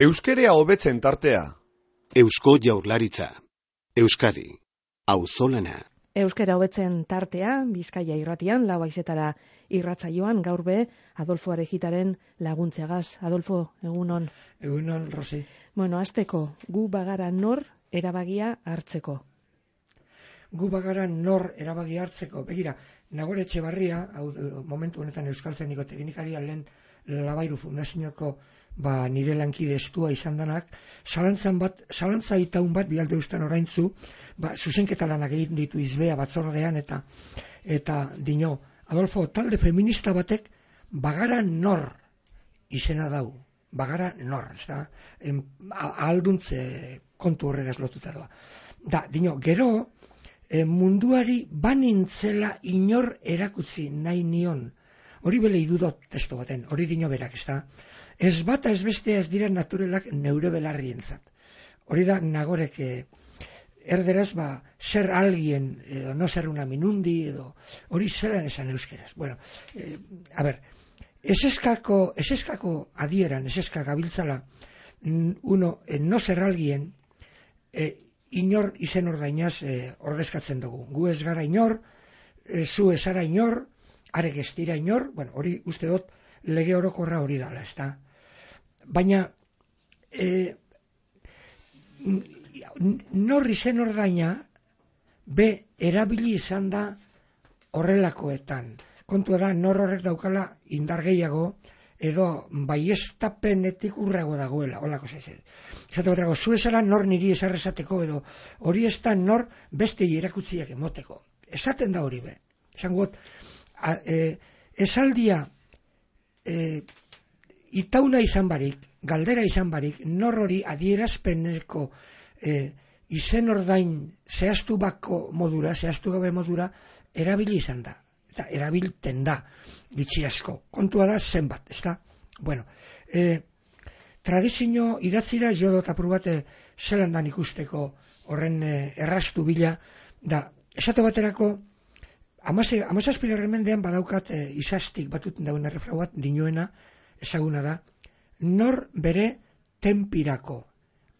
Euskerea hobetzen tartea. Eusko Jaurlaritza. Euskadi. Auzolana. Euskera hobetzen tartea, Bizkaia irratian, lau haizetara irratsaioan, gaur be, Adolfo Arejitaren laguntzeagaz. Adolfo, egunon. Egunon, Rosi. Bueno, hasteko, gu bagara nor erabagia hartzeko. Gu bagara nor erabagia hartzeko. Begira, Nagore Etxebarria, momentu honetan Euskaltzaindiko teknikaria lehen Labairu Fundazioko nire lankide estua izan danak, zalantza itaun bat bialde ustan oraintzu, zuzenketa lanak egin ditu izbea batzordean eta dino, Adolfo, talde feminista batek bagara nor izena dau. Bagara nor, ez da? Alduntze kontu horregaz lotuta doa. Dino, gero, munduari banintzela inor erakutzi nahi nion. Hori bele idudot testo baten, hori dino berak, ez da? Ez bata ez bestea ez dira naturelak neure belarrientzat. Hori da Nagorek erderaz zer alguien, no ser una minundi, edo hori zelan esan euskeraz. Bueno, eseskako adieran, eseskak abiltzala, no ser alguien, inor izen ordainaz ordezkatzen dugu. Gu ez gara inor, zu ez ara inor, arek ez dira inor, bueno, hori uste dut lege orokorra hori dala, ez da. Baina, nor izen ordaina, erabili izan da horrelakoetan. Kontua da, nor horrek daukala indar gehiago, edo baiestapenetik urrago dagoela, holako zaizen. Zato horrego, zu esara nor niri esarrezateko, edo hori ez da nor beste erakutziak emoteko. Esaten da hori be. Esan got, esaldia itauna izan barik, galdera izan barik, nor hori adierazpeneko izen ordain zehaztu gabe modura, erabili izan da. Eta erabilten da, gitxi asko. Kontua da zenbat, ez da? Bueno, tradizio idatzira jo dut aprobate zelan dan ikusteko horren errastu bila, esate baterako, 17. mendean badaukat izastik batuten dauen errefrau bat dinoena ezaguna da, nor bere tenpirako,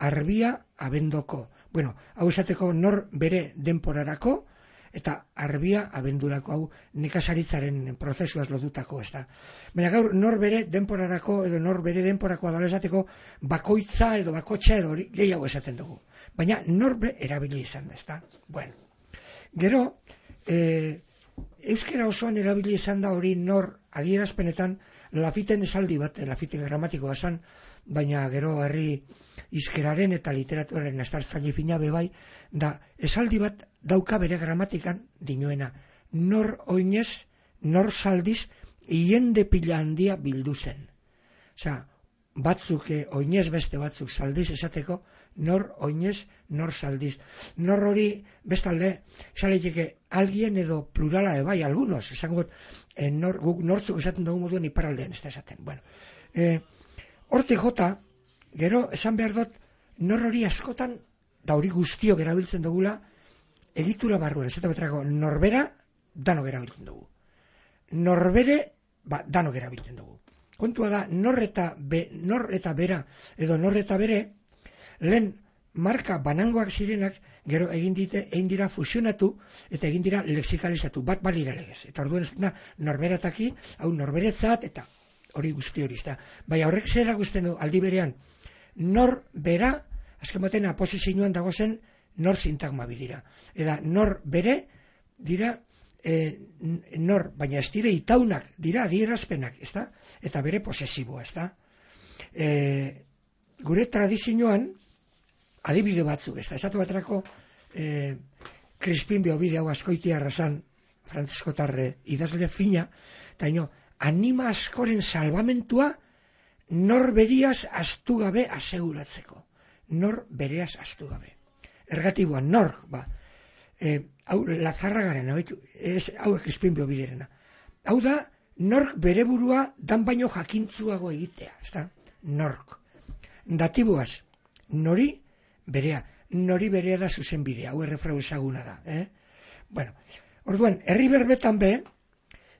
arbia abendoko. Bueno, hau esateko nor bere denporarako eta arbia abendurako, hau nekazaritzaren prozesuaz lotutako, ez da. Baina gaur nor bere denporarako edo nor bere denporako adala esateko bakoitza edo bakotxa edo hori gehiago esaten dugu. Baina nor bere erabili izan da, ez da. Bueno, gero, euskera osoan erabili izan da hori nor adierazpenetan Lafiten esaldi bat, Lafiten gramatikoa esan, baina gero herri izkeraren eta literaturaren astartzaile fina bebai, esaldi bat dauka bere gramatikan dinoena. Nor oinez, nor saldiz, hiende pila handia bildu zen. Osea, batzuk oinez beste batzuk saldiz esateko, nor oinez, nor saldiz. Nor hori bestalde, esaleteke alguien edo plurala bai, algunos, esango guk nortzuk esaten dugu moduen iparaldean ez da esaten. Bueno, hortik jota, gero esan behar dut, nor hori askotan, da hori guztiok erabiltzen dugula, egitura barruan, ez eta norbera, danok erabiltzen dugu. Norbere, danok erabiltzen dugu. Kontua da, nor eta bera, edo nor eta bere, lehen marka banangoak zirenak, gero egin dira fusionatu, eta egin dira lexikalizatu, bat balira legez. Eta orduan ez da, norberataki, hau norberetzat, eta hori guzti hori, ez da. Baina horrek zer erakusten du, aldi berean, nor bera, azken baten aposizioan dago zen, nor sintagma bilira. Eta nor bere, dira, nor, baina ez dire itaunak, dira adierazpenak, ez da? Eta bere posesiboa, ez da? Gure tradizioan, adibide batzuk, ez da? Esatu baterako, Crispin Beobide hau Azkoitia Arrasan, frantziskotarre idazle fina, eta anima askoren salvamentua, nor beriaz astu gabe aseguratzeko. Nor bereaz astu gabe. Ergatiboan, nor, hau Lazarragaren, hau Crispin Beobiderena. Hau da, nork bere burua dan baino jakintzuago egitea, ez da? Nork. Datiboaz, nori berea da zuzen bidea, hau errefrau ezaguna da. Bueno, orduan, herri berbetan be,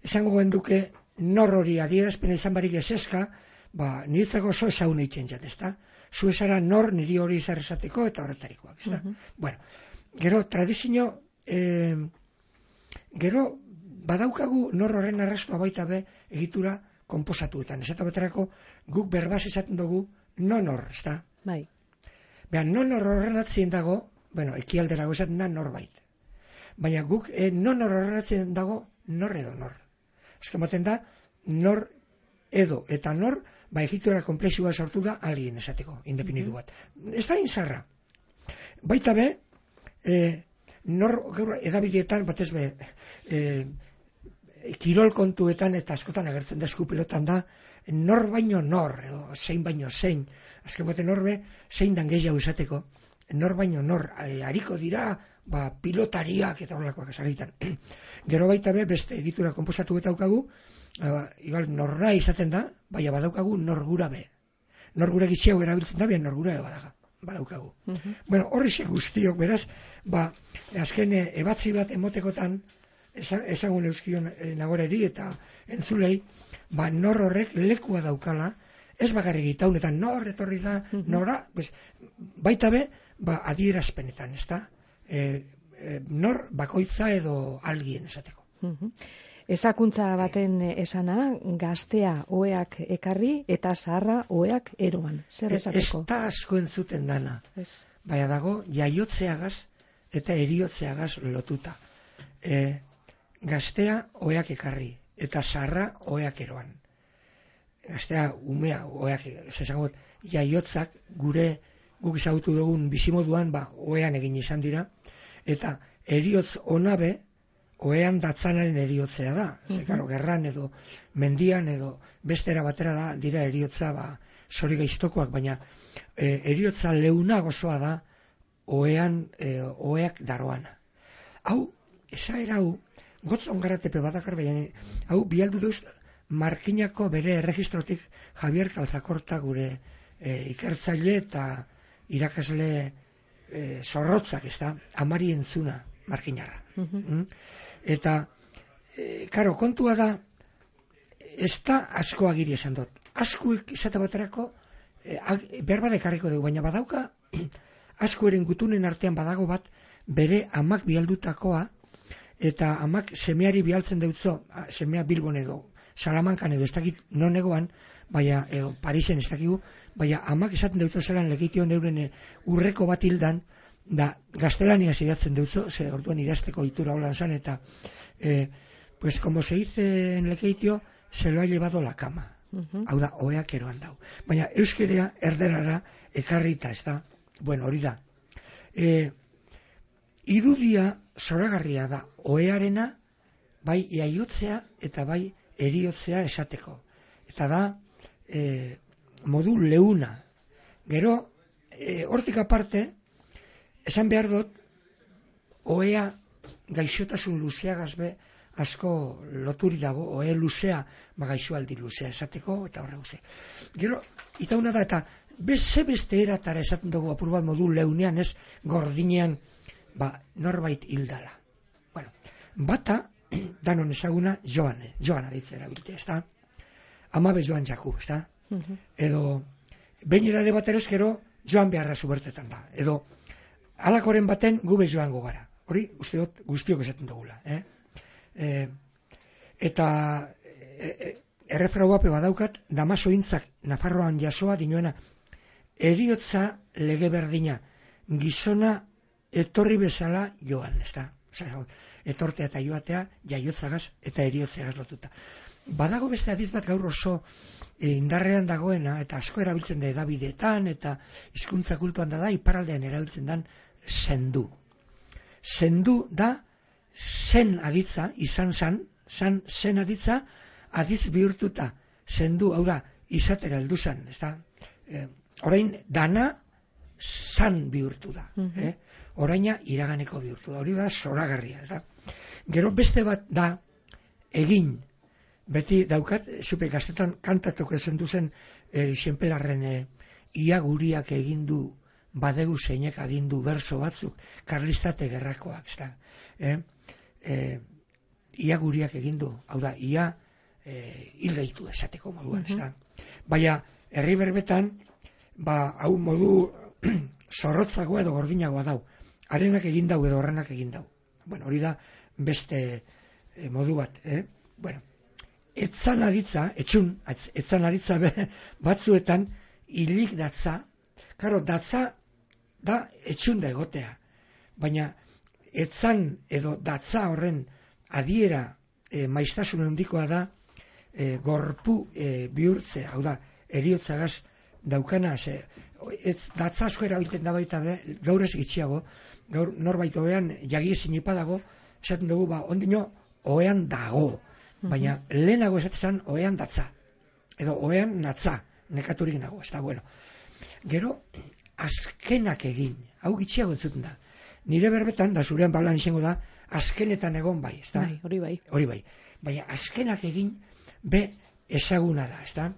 esango genduke nor hori adierazpena izan barik eseska, niretzako oso ezagun eitzen jat, ezta? Zu esara nor niri hori izar esateko eta horretarikoak, ezta? Bueno, gero tradizio, gero badaukagu nor horren arrastua baita be egitura konposatuetan. Esata baterako guk berbaz esaten dugu nonor, ezta? Bai. Behan, nonor horren atzien dago, ekialderago esaten da norbait. Baina guk nonor horren atzien dago nor edo nor. Azken baten da, nor edo eta nor, egitura komplexua sortu da alien esateko, indefinitu bat. Ez da inzarra. Baita be, nor gaur edabideetan, batez be, kirol kontuetan eta askotan agertzen da eskupilotan da, nor baino nor, edo zein baino zein, azken baten norbe, zein dan gehiago esateko, nor baino nor, hariko dira, pilotariak eta horrelakoak esagitan. Gero baita be, beste egitura konposatu eta daukagu, igual norra izaten da, baina badaukagu norgura be. Norgura gitxiago erabiltzen da, baina norgura badaukagu. Bueno, horrexek guztiok, beraz, azken ebatzi bat emotekotan, ezagun euskion nagoreri eta entzulei, nor horrek lekua daukala, ez bakarrik itaun eta nor etorri da, nora, baita be, adierazpenetan, ez da? Nor bakoitza edo algien esateko. Esakuntza baten esana, gaztea oeak ekarri eta zaharra oeak eroan. Zer esateko? Ez da asko entzuten dana. Baina dago, jaiotzeagaz eta eriotzeagaz lotuta. Gaztea oeak ekarri eta zaharra oeak eroan. Gaztea umea oeak, esagot, jaiotzak guk izagutu dugun bizimoduan, oean egin izan dira, eta eriotz onabe, oean datzanaren eriotzea da. Zekaro, gerran edo mendian edo bestera batera da, dira eriotza sori gaiztokoak, baina eriotza leuna gozoa da oeak daroana. Hau, esaera hau, gotzon garatepe badakar, baina hau bialdu duz Markinako bere erregistrotik Javier Calzacorta gure ikertzaile eta irakasle zorrotzak, ez da, amari entzuna Markinarra. Eta, karo, kontua da, ez da asko agiri esan dut. Askuek izate baterako, berba dekarriko dugu, baina badauka, askueren gutunen artean badago bat, bere amak bialdutakoa, eta amak semeari bialtzen deutzo, semea Bilbon edo, Salamankan edo ez dakit non egoan, baina, edo Parisen ez dakigu, baina amak esaten deutzo zelan legitio neuren urreko bat hildan, da gaztelania idatzen deutzo, ze orduan idazteko itura holan zan, eta pues como se dice en lekeitio, se lo ha llevado la cama. Hau da, oeak eroan dau. Baina euskerea erderara ekarrita, ez da? Bueno, hori da. Irudia zoragarria da, oearena, bai iaiotzea eta bai eriotzea esateko. Eta da, modu leuna. Gero, hortik aparte, esan behar dut, oea gaixotasun luzeagaz be asko loturi dago, oe luzea, gaixoaldi luzea esateko, eta horre guze. Gero, itauna da, eta beste eratara esaten dugu apur bat modu leunean, ez gordinean, norbait hildala. Bueno, bata, danon ezaguna, Joan aritzera bilte, ez da? Amabe Joan Jaku, ez da? Edo, behin edade bat ere gero, Joan beharra zubertetan da. Edo, halakoren baten gube joango gara. Hori, uste dut guztiok esaten dugula. Eta errefrau bape badaukat, Damaso Intzak Nafarroan jasoa dinoena, eriotza lege berdina, gizona etorri bezala joan, ez da? Etortea eta joatea, jaiotzagaz eta eriotzeagaz lotuta. Badago beste adiz bat gaur oso indarrean dagoena, eta asko erabiltzen da edabideetan, eta hizkuntza kultuan da, iparraldean erabiltzen dan zendu. Zendu da zen aditza, izan zen aditza, adiz bihurtuta, zendu, hau da, izatera heldu zan, ez da? Orain, dana zan bihurtu da, oraina iraganeko bihurtu da, hori da zoragarria, ez da? Gero beste bat da, egin, beti daukat, zupe gaztetan kantatuko zendu zen, xenpelarren ia guriak egindu, badegu zeinek agindu berso batzuk, karlistate gerrakoak, ez da? Ia guriak egindu, hau da, ia hil gaitu esateko moduan, ez da? Baina, herri berbetan, hau modu zorrotzagoa edo gordinagoa dau. Harenak egin dau edo horrenak egin dau. Bueno, hori da beste modu bat, Bueno, etzan aditza batzuetan hilik datza. Karo, datza da etxun da egotea. Baina, etzan edo datza horren adiera maiztasun handikoa da gorpu bihurtzea. Hau da, heriotzagaz daukana, datza asko erabiltzen da baita, gaur ez gitxiago, gaur norbait oean jagiezin ipadago, esaten dugu, ondino oean dago, baina lehenago esatzen oean datza, edo oean natza, nekaturik nago, ez da, bueno. Gero, azkenak egin, hau gitxiago entzuten da. Nire berbetan, da zurean balan izango da, azkenetan egon bai, ez da? Bai, hori bai. Hori bai. Baina azkenak egin, ezaguna da, ez da?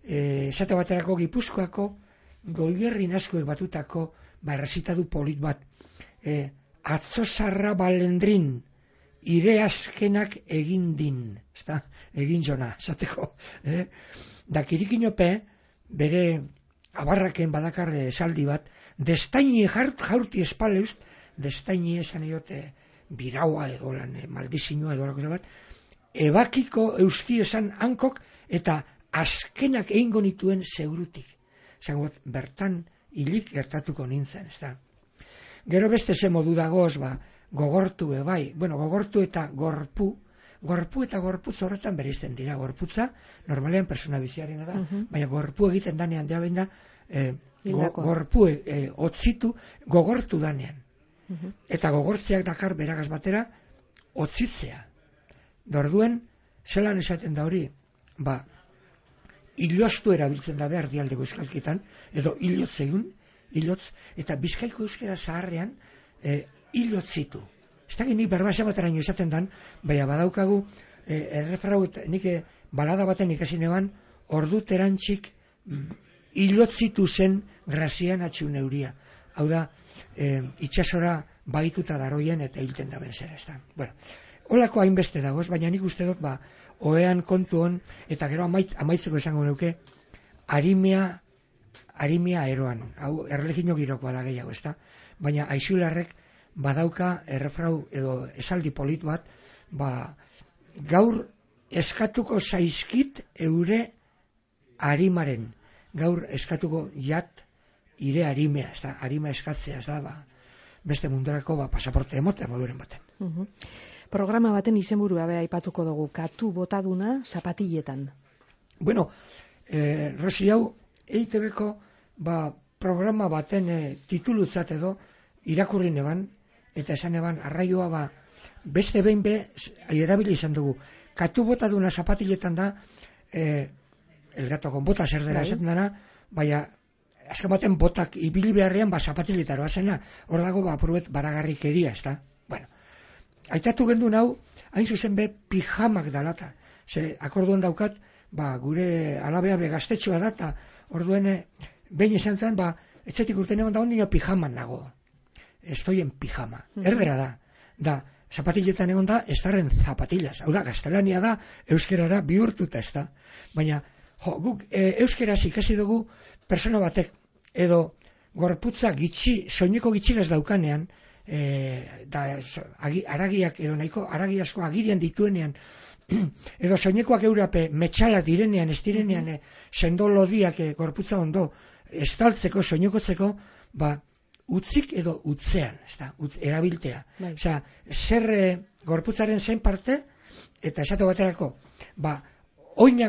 Esate baterako Gipuzkoako Goierrin askoek batutako errezitadu polit bat. Atzo zarra balendrin, ire azkenak egin din, ez da? Egin jona, esateko. Da kirikinope, bere abarraken badakar esaldi bat, destaini jaurti espaleust, destaini esan edote biraua edo lan, maldizinua edo lako bat, ebakiko euski esan hankok eta azkenak egingo nituen segurutik. Zangot, bertan hilik gertatuko nintzen, ez da. Gero beste ze modu dagoz, gogortu bai. Bueno, gogortu eta gorpu eta gorputz horretan bereizten dira. Gorputza, normalean persona biziarena da, baina gorpu egiten danean da, gorpu otzitu, gogortu danean. Eta gogortzeak dakar beragaz batera, otzitzea. Dorduen, zelan esaten da hori, iloztu erabiltzen da behar dialdeko euskalkitan, edo ilotz egun, eta bizkaiko euskera zaharrean ilotzitu. Ez da nik berbasa bateraino esaten dan, baina badaukagu, errefrau, nik balada baten ikasin eban, ordu terantxik ilotzitu zen grazian atxun euria. Hau da, itxasora baituta daroien eta hilten da benzera, ez da. Bueno, holako hainbeste dagoz, baina nik uste dut, oean kontu hon, eta gero amaitzeko esango neuke, arimea eroan, hau erlegino girokoa da gehiago, ez da, baina aixularrek badauka errefrau edo esaldi polit bat, gaur eskatuko zaizkit eure arimaren, gaur eskatuko jat ire arimea, ez da, arima eskatzea, ez da, beste mundurako pasaporte emotea moduren baten. Programa baten izenburua aipatuko dugu, katu botaduna zapatiletan. Bueno, Rosi hau, EITB-ko programa baten titulutzat edo irakurri neban, eta esan eban, arraioa beste behin erabili izan dugu. Katu botaduna zapatiletan da, el gato con botas erdera esaten dana, baina azken baten botak ibili beharrean zapatiletaro azena, hor dago apurbet baragarrikeria, ez da? Bueno, aitatu gendun hau, hain zuzen pijamak dalata. Ze, akorduan daukat, gure alabea gaztetxoa data, orduen, behin esan zen, etxetik urten egon da ondino pijaman nago. Estoi en pijama. Erdera da, zapatiletan egon da, estarren zapatillas. Hau da, gaztelania da, euskerara bihurtuta ez da. Baina, guk euskeraz ikasi dugu persona batek, edo gorputza soineko gitxigaz daukanean, aragiak edo nahiko aragi asko agirian dituenean, edo soinekoak eurape metxalak direnean, ez direnean, sendo lodiak gorputza ondo estaltzeko, soinekotzeko, utzik edo utzean, erabiltea. Osea, zer gorputzaren zein parte, eta esate baterako, oina